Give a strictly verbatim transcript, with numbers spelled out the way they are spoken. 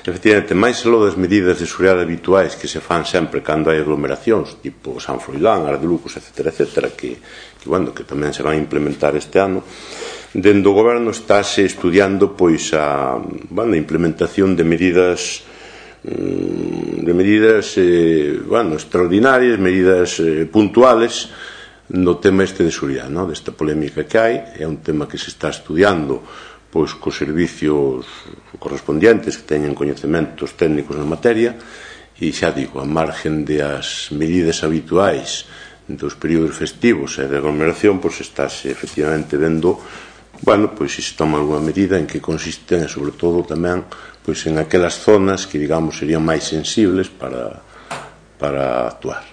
efectivamente, máis aló das medidas de seguridade habituais que se fan sempre cando hai aglomeracións, tipo San Froilán, Ar de Lucos, etcétera, etcétera, que, que, bueno, que tamén se van a implementar este ano, dende o goberno estáse estudiando pois a, bueno, a implementación de medidas de medidas eh, bueno, extraordinarias, medidas eh, puntuales no tema este de seguridade, no? Desta polémica que hai. É un tema que se está estudiando pois cos servicios correspondientes que teñen coñecementos técnicos na materia, e xa digo, a margen de as medidas habituais dos períodos festivos e de aglomeración, pois estáse efectivamente vendo, bueno, pois se se toma alguna medida, en que consisten, e sobre todo tamén pois en aquelas zonas que, digamos, serían máis sensibles para, para actuar.